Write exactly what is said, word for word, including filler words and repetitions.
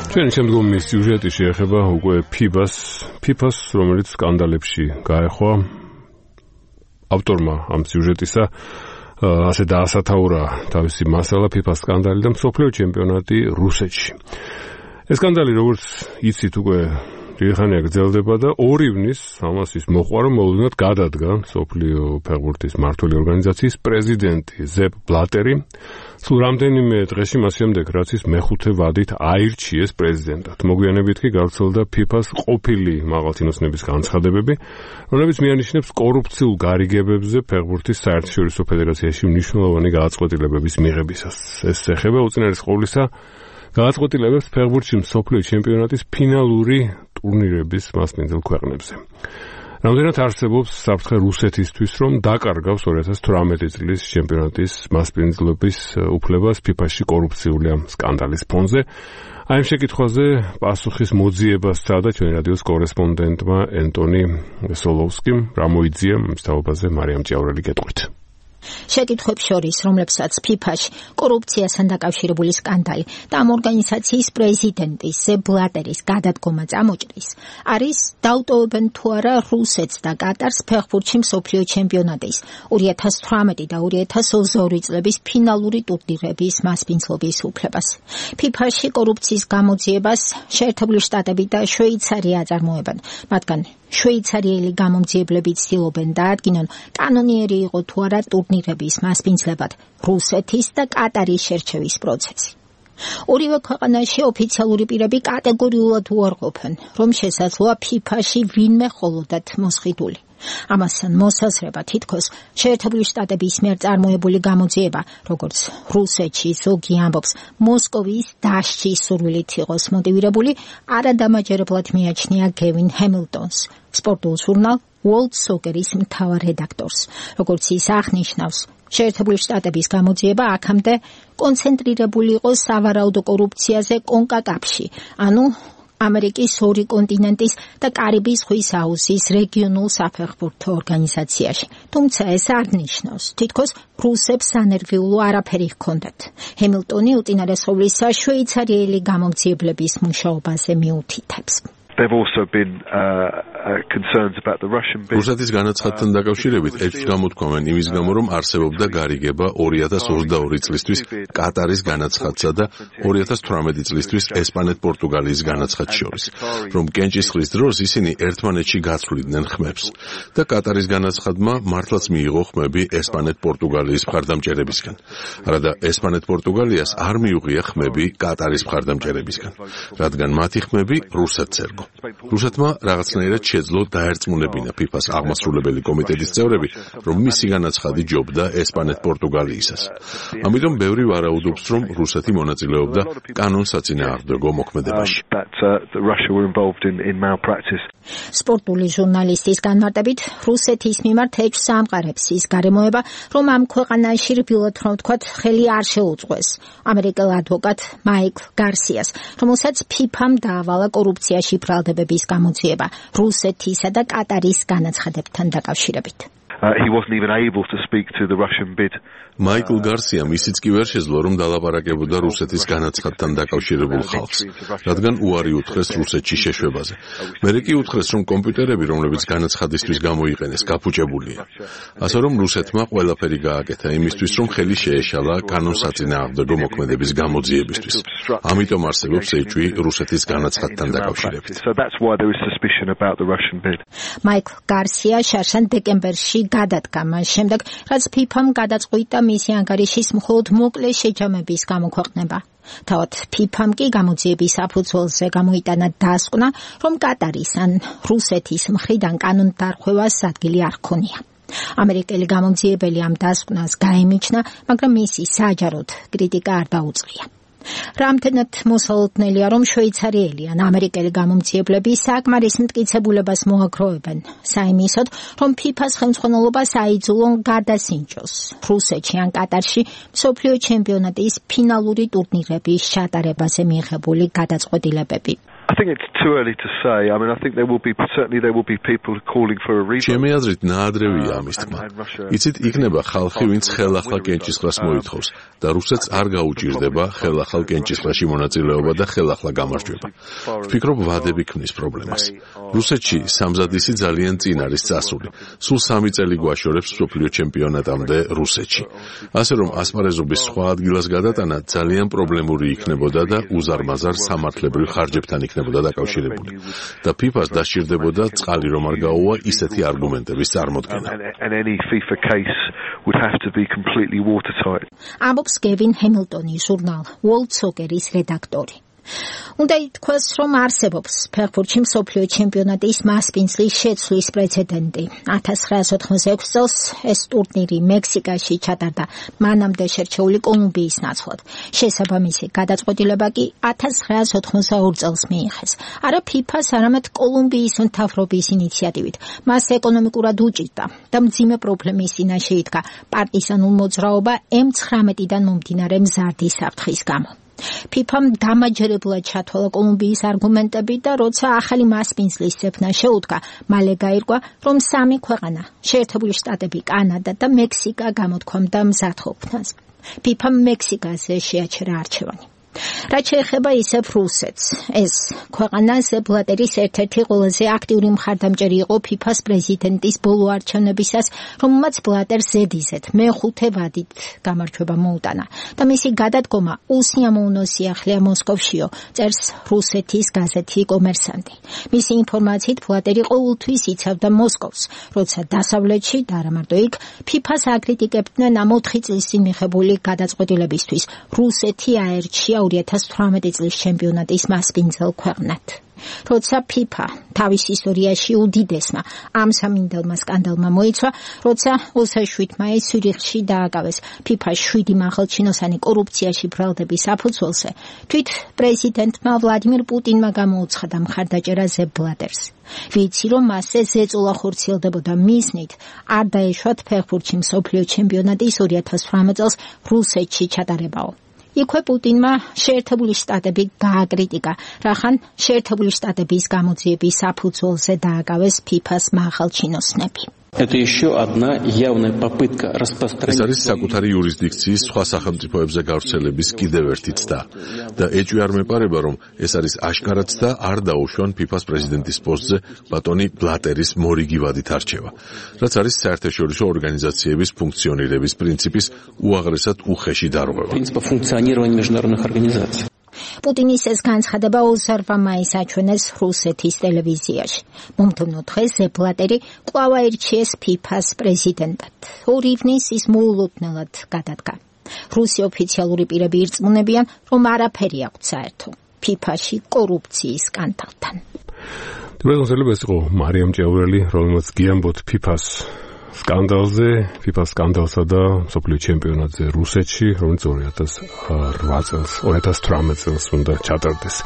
ჩვენი შემდგომი სიუჟეტი შეეხება უკვე ფიბას, ფიფას, რომელიც სკანდალებში გაეხვა. ავტორმა ამ სიუჟეტისა ასე დაასათაურა თავისი მასალა ფიფას სკანდალი და მსოფლიო ჩემპიონატი რუსეთში. ეს სკანდალი, როგორც იცით, უკვე დიდი ხანია გრძელდება და ორი ივნის ამას ის მოყვა, რომ მოულოდნელად გადადგა მსოფლიო ფეხბურთის მმართველი ორგანიზაციის პრეზიდენტი ზეპ ბლატერი. სულ რამდენიმე დღეში მას შემდეგ, რაც ის მეხუთე ვადით აირჩიეს პრეზიდენტად. მოგვიანებით კი გავრცელდა ფიფას ყოფილი მაღალჩინოსნების განცხადებები, რომლებიც მიანიშნებს კორუფციულ გარიგებებზე ფეხბურთის საერთაშორისო ფედერაციაში მნიშვნელოვანი გადაწყვეტილებების მიღებისას. ეს ეხება უწინარეს ყოვლისა გადაწყვეტილებებს ფეხბურთში მსოფლიო ჩემპიონატის ფინალური ტურნირების მასპინძელ ქვეყნებზე. რამდენად არსებობს საფრთხე რუსეთისთვის, რომ დაკარგავს ორი ათას თვრამეტი წლის ჩემპიონატის მასპინძლობის უფლებას ფიფაში კორუფციული ამ სკანდალის ფონზე. აი ამ შეკითხვაზე პასუხის მოძიებას სცადა ჩვენი რადიოს კორესპონდენტმა ენტონი სოლოვსკიმ. რა მოიძია მის თაობაზე მარიამ ჭიაურელი გეტყვით. შეკითხვებს შორის, რომლებსაც ფიფაში კორუფციასთან დაკავშირებული სკანდალი და ამ ორგანიზაციის პრეზიდენტის ზეპ ბლატერის გადადგომა წამოჭრის, არის დაუტოვებენ თუ არა რუსეთს და კატარს ფეხბურთში მსოფლიო ჩემპიონატის ორი ათას თვრამეტი და ორი ათას ოცდაორი წლების ფინალური ტურნირების მასპინძლობის უფლებას. ფიფაში კორუფციის გამოძიებას შეერთებული შტატები და შვეიცარია აწარმოებენ, მათგან შვეიცარიელი გამომძიებლები ცდილობენ დაადგინონ კანონიერი იყო თუ არა ტურნირების მასპინძლებად რუსეთის და კატარის შერჩევის პროცესი. ორივე ქვეყანაში ოფიციალური პირები კატეგორიულად უარყოფენ, რომ შესაძლოა ფიფაში ვინმე ხოლოდათ მოსყიდული. ამასთან მოსაზრება თითქოს შეერთებული შტატების მიერ წარმოებული გამოძიება, როგორც რუსეთში ზოგი ამბობს, მოსკოვის დასჯის სურვილით იყოს მოტივირებული, არადამაჯერებლად მიაჩნია გევინ ჰემილტონს, სპორტულ ჟურნალ World Soccer-ის მთავარ რედაქტორს. როგორც ის აღნიშნავს, შეერთებული შტატების გამოძიება აქამდე კონცენტრირებული იყო სავარაუდო კორუფციაზე კონკაკაფში, ანუ ამერიკის ორი კონტინენტის და კარიბის ზღვის აუზის რეგიონულ საფეხბურთო ორგანიზაციაში. თუმცა ეს არ ნიშნავს, თითქოს რუსებს ანერგიულო არაფერი ჰქონდათ. ჰემილტონი უწინარესობლისა შვეიცარიელი გამომძიებლების მუშაობაზე მიუთითებს. რუსეთის განაცხადთან დაკავშირებით ეჭვს გამოთქვამენ იმის გამო, რომ არსებობდა გარიგება ორი ათას ოცდაორი წლისთვის კატარის განაცხადსა და ორი ათას თვრამეტი წლისთვის ესპანეთ-პორტუგალიის განაცხადს შორის, რომ კენჭისყრის დროს ისინი ერთმანეთში გაცვლიდნენ ხმებს და კატარის განაცხადმა მართლაც მიიღო ხმები ესპანეთ-პორტუგალიის მხარდამჭერებისგან. არადა ესპანეთ-პორტუგალიას არ მიუღია ხმები კატარის მხარდამჭერებისგან, რადგან მათი ხმები რუსეთს ერგო. რუსეთმა რაღაცნაირად შეძლო დაერწმუნებინა ფიფას აღმასრულებელი კომიტეტის წევრები, რომ მისი განაცხადი ჯობდა ესპანეთ-პორტუგალიისას. ამიტომ ბევრი ვარაუდობს, რომ რუსეთი მონაწილეობდა კანონსაწინააღმდეგო მოქმედებაში. სპორტული ჟურნალისტის განმარტებით, რუსეთის მიმართ ეჭვს ამყარებს ის გარემოება, რომ ამ ქვეყანაში რბილად რომ ვთქვათ, ხელი არ შეუწყვეს ამერიკელ ადვოკატ მაიკლ გარსიას, რომელსაც ფიფამ დაავალა კორუფციაში ბრალდებების გამოძიება რუსეთისა და კატარის განაცხადებთან დაკავშირებით. მაიკლ გარსიამ ისიც კი ვერ შეძლო, რომ დალაპარაკებოდა რუსეთის განაცხადთან დაკავშირებულ ხალხს, რადგან უარი უთხრეს რუსეთში შეშვებაზე. მერე კი უთხრეს, რომ კომპიუტერები, რომლებიც განაცხადისთვის გამოიყენეს, გაფუჭებულია. ასე რომ რუსეთმა ყველაფერი გააკეთა იმისთვის, რომ ხელი შეეშალა კანონსაწინააღმდეგო მოქმედების გამოძიებისთვის. ამიტომ არსებობს ეჭვი რუსეთის განაცხადთან დაკავშირებით. მაიკლ გარსია შარშან დეკემბერში გადადგა მას შემდეგ, რაც ფიფამ გადაწყვიტა მისი ანგარიშის მხოლოდ მოკლე შეჯამების გამოქვეყნება. თავად ფიფამ კი გამოძიების საფუძველზე გამოიტანა დასკვნა, რომ კატარის ან რუსეთის მხრიდან კანონდარღვევას ადგილი არ ჰქონია. ამერიკელი გამომძიებელი ამ დასკვნას გაემიჩნა, მაგრამ მისი საჯაროდ კრიტიკა არ დაუწყია. რამდენად მოსალოდნელია, რომ შვეიცარიელი ან ამერიკელი გამომძიებლები საკმარის მტკიცებულებას მოაგროვებენ, საიმისოდ, რომ ფიფას ხელმძღვანელობას აიძულონ გადასინჯოს რუსეთში ან კატარში მსოფლიო ჩემპიონატის ფინალური ტურნირების ჩატარებაზე მიღებული გადაწყვეტილებები. I think it's too early to say. I mean, I think there will be certainly there will be people calling for a revote. ჩემი აზრით ნაადრევია ამის თქმა. იცით, იქნება ხალხი, ვინც ხელახლა კენჭისყრას მოითხოვს და რუსეთს არ გაუჭირდება ხელახალ კენჭისყრაში მონაწილეობა და ხელახლა გამარჯვება. ვფიქრობ, ვადები ქმნის პრობლემას. რუსეთში სამზადისი ძალიან წინ არის წასული. სულ სამი წელი გვაშორებს მსოფლიო ჩემპიონატამდე რუსეთში. ასე რომ ასპარეზობის სხვა ადგილას გადატანა ძალიან პრობლემური იქნებოდა და უზარმაზარ სამართლებრივ ხარჯებთან იქნებოდა დაკავშირებული. და ფიფას დასჭირდებოდა წყალი რომ არ გაუვა ისეთი არგუმენტების წარმოდგენა. ამბობს გევინ ჰემილტონი, ჟურნალ World Soccer-ის რედაქტორი. უნდა ითქვას, რომ არსებობს ფეხბურთში მსოფლიო ჩემპიონატის მასპინძლის შეცვლის პრეცედენტი. ათას ცხრაას ოთხმოცდაექვსი წელს ეს ტურნირი მექსიკაში ჩატარდა, მანამდე შერჩეული კოლუმბიის ნაცვლად. შესაბამისი გადაწყვეტილება კი ათას ცხრაას ოთხმოცდაორი წელს მიიღეს. არა ფიფას, არამედ კოლუმბიის მთავრობის ინიციატივით. მას ეკონომიკურად უჭირდა და მძიმე პრობლემის წინაშე იდგა პარტიზანულ მოძრაობა ემ ცხრამეტიდან მომდინარე მზარდი საფრთხის გამო. ფიფამ დამაჯერებლად ჩათვალა კოლუმბიის არგუმენტები და როცა ახალი მასპინძლის ძებნა შეუდგა, მალე გაირკვა, რომ სამი ქვეყანა, შეერთებული შტატები, კანადა და მექსიკა გამოთქვამდა მზადყოფნას. ფიფამ მექსიკაზე შეაჩერა არჩევანი. რაც შეეხება ისევ რუსეთს, ეს ქვეყანა სეპ ბლატერის ერთ-ერთი ყველაზე აქტიური მხარდამჭერი იყო ფიფას პრეზიდენტის ბოლო არჩევნებისას, რომელმაც ბლატერს ზედიზედ მეხუთე ვადით გამარჯვება მოუტანა და მისი გადადგომა უსიამოვნო სიახლეა მოსკოვშიო, წერს რუსეთის გაზეთი კომერსანტი. მისი ინფორმაციით ბლატერი ყოველთვის იცავდა მოსკოვს, როცა დასავლეთში და არა მარტო იქ ფიფას აკრიტიკებდნენ ამ ოთხი წლის წინ მიღებული გადაწყვეტილებისთვის რუსეთი აერჩია ორი ათას თვრამეტი წლის ჩემპიონატის მასპინძელ ქვეყნად. როცა ფიფა თავის ისტორიაში უდიდესმა ამ სამინდელმა სკანდალმა მოიცვა, როცა ოცდაშვიდ მაისს ცვირიხში დააკავეს ფიფას შვიდი მაღალჩინოსანი კორუფციაში ბრალდების საფუძველზე, თვით პრეზიდენტმა ვლადიმირ პუტინმა გამოუცხადა მხარდაჭერა ზეპ ბლატერს. ვიცი, რომ მასზე ზეწოლა ხორციელდებოდა მისნით, არ დაეშვათ ფეხბურთში მსოფლიო ჩემპიონატის ორი ათას თვრამეტ წელს რუსეთში ჩატარებაო. იქვე პუტინმა შეერთებული შტატები გააკრიტიკა, რახან შეერთებული შტატების გამოძიების საფუძველზე დააკავეს ფიფას მაღალჩინოსნები. Это еще одна явная попытка распространить. ეს არის საკუთარი იურისდიქციის სხვა სახელმწიფოებზე გავრცელების კიდევ ერთი ცდა და ეჭვი არ მეპარება, რომ ეს არის აშკარა ცდა არ დაუშვან ფიფას პრეზიდენტის პოსტზე ბატონი ბლატერის მორიგი ვადით არჩევა, რაც არის საერთაშორისო ორგანიზაციების ფუნქციონირების პრინციპის უაღრესად უხეში დარღვევა. Принципа функционирования международных организаций. პუტინის ეს განცხადება ოცდაორი მაისს აჩვენეს რუსეთის ტელევიზიაში. მომდევნო დღეს ზეპ ბლატერი კვლავ აირჩიეს ფიფას პრეზიდენტად. ორი ივნის ის მოულოდნელად გადადგა. რუსი ოფიციალური პირები ირწმუნებიან, რომ არაფერი აქვთ საერთო ფიფაში კორუფციის სკანდალთან. თუმცა ეს იყო მარიამ ჭეურელი, რომელმაც გიამბოთ ფიფას სკანდალზე, ფიფას სკანდალსა და მსოფლიო ჩემპიონატზე რუსეთში, რომელიც ორი ათას ორი წელს, ორი ათას თვრამეტ წელს უნდა ჩატარდეს.